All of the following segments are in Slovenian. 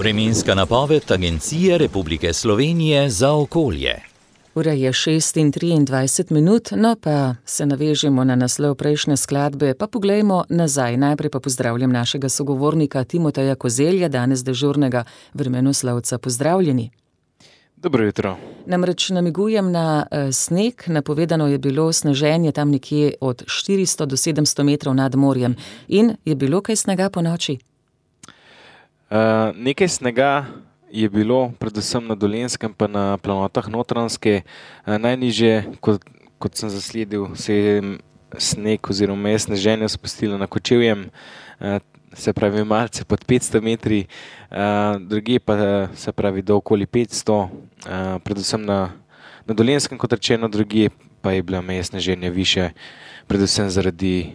Vremenska napoved Agencije Republike Slovenije za okolje. Ura je 6:23, no pa se navežemo na naslov prejšnje skladbe, pa poglejmo nazaj. Najprej pa pozdravljam našega sogovornika Timoteja Kozelja, danes dežurnega vremenoslovca. Pozdravljeni. Dobro jutro. Namreč namigujem na sneg, napovedano je bilo sneženje tam nekje od 400 do 700 metrov nad morjem. In je bilo kaj snega po noči? Nekaj snega je bilo predvsem na Dolenjskem pa na planotah Notranjske. Najnižje, kot sem zasledil, se je sneg oziroma je sneženje spustilo na Kočevjem, se pravi malce pod 500 metri, drugje pa se pravi do okoli 500, predvsem na Dolenjskem, kot rečeno, drugje pa je bila meja sneženja višja, predvsem zaradi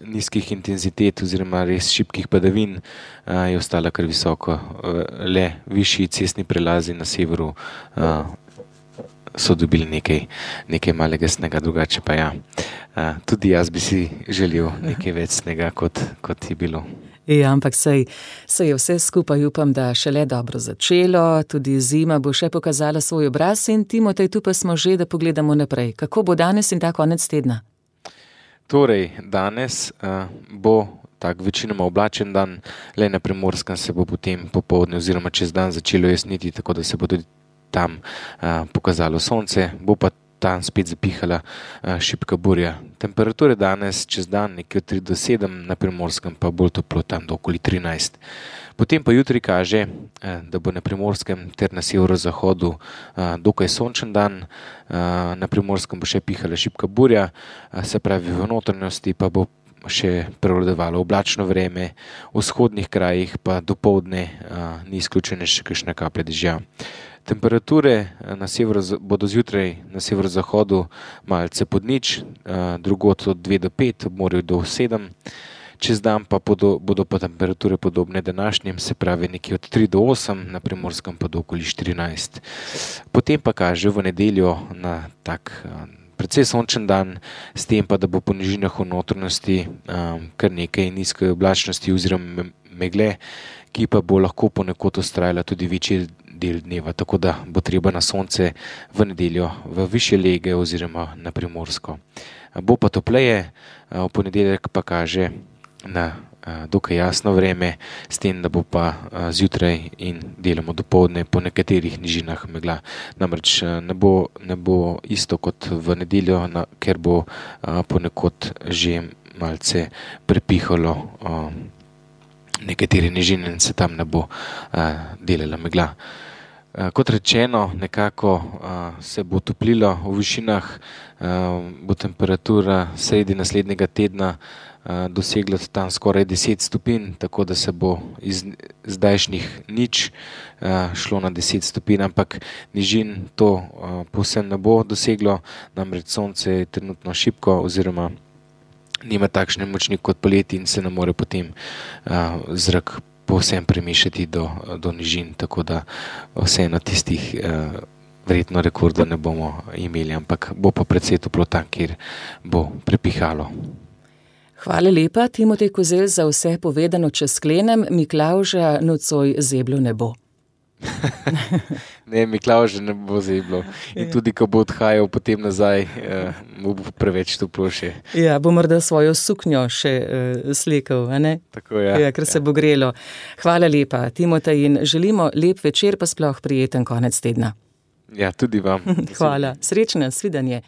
nizkih intenzitet oziroma res šibkih padavin, je ostala kar visoko. Le višji cestni prelazi na severu so dobili nekaj malega snega, drugače pa ja. Tudi jaz bi si želel nekaj več snega, kot je bilo. Ja, ampak sej je vse skupaj, upam, da šele dobro začelo, tudi zima bo še pokazala svoj obraz in Timotej, tu pa smo že, da pogledamo naprej. Kako bo danes in ta konec tedna? Torej, danes bo tak večinoma oblačen dan, le na Primorskem se bo potem popoldne oziroma čez dan začelo jasniti, tako da se bo tudi tam pokazalo sonce, bo pa tam spet zapihala šibka burja. Temperature danes čez dan nekje od 3 do 7, na Primorskem pa bolj toplo, tam do okoli 13. Potem pa jutri kaže, da bo na Primorskem ter na severozahodu dokaj sončen dan, na Primorskem bo še pihala šibka burja, se pravi v notranjosti pa bo še prevladovalo oblačno vreme, v vzhodnih krajih pa dopoldne ni izključene še kakšne kaplje dežja. Temperature bodo zjutraj na severozahodu malce pod nič, drugod od 2 do 5, ob morju do 7. Čez dan pa bodo pa temperature podobne današnjim, se pravi nekje od 3 do 8, na Primorskem pa do okoli 14. Potem pa kaže v nedeljo na tak precej sončen dan, s tem pa, da bo po nižinah v notranjosti kar nekaj nizke oblačnosti oziroma megle, ki pa bo lahko ponekod vztrajala tudi večji del dneva, tako da bo treba na sonce v nedeljo v višje lege oziroma na Primorsko. Bo pa topleje, v ponedeljek pa kaže na dokaj jasno vreme, s tem, da bo pa zjutraj in deloma dopoldne po nekaterih nižinah megla. Namreč ne bo isto kot v nedeljo, ker bo ponekod že malce prepihalo nekatere nižine in se tam ne bo delala megla. Kot rečeno, nekako se bo toplilo v višinah, bo temperatura sredi naslednjega tedna dosegla tam skoraj 10 stopinj, tako da se bo iz zdajšnjih nič šlo na 10 stopinj, ampak nižin to povsem ne bo doseglo, namreč sonce je trenutno šibko oziroma nima takšne moči kot poleti in se ne more potem zrak povsem premišati do nižin, tako da vseeno tistih verjetno rekordov ne bomo imeli, ampak bo pa precej toplo tam, kjer bo prepihalo. Hvala lepa, Timotej Kozelj, za vse povedano. Če sklenem, Miklavža nocoj zeblo ne bo. Ne, Miklavža ne bo zeblo. In tudi, ko bo odhajal potem nazaj, mu bo preveč toplo še. Ja, bo morda svojo suknjo še slekel, a ne? Tako, ja. Ja, ker se bo grelo. Hvala lepa, Timotej, in želimo lep večer, pa sploh prijeten konec tedna. Ja, tudi vam. Hvala. Srečno, svidenje.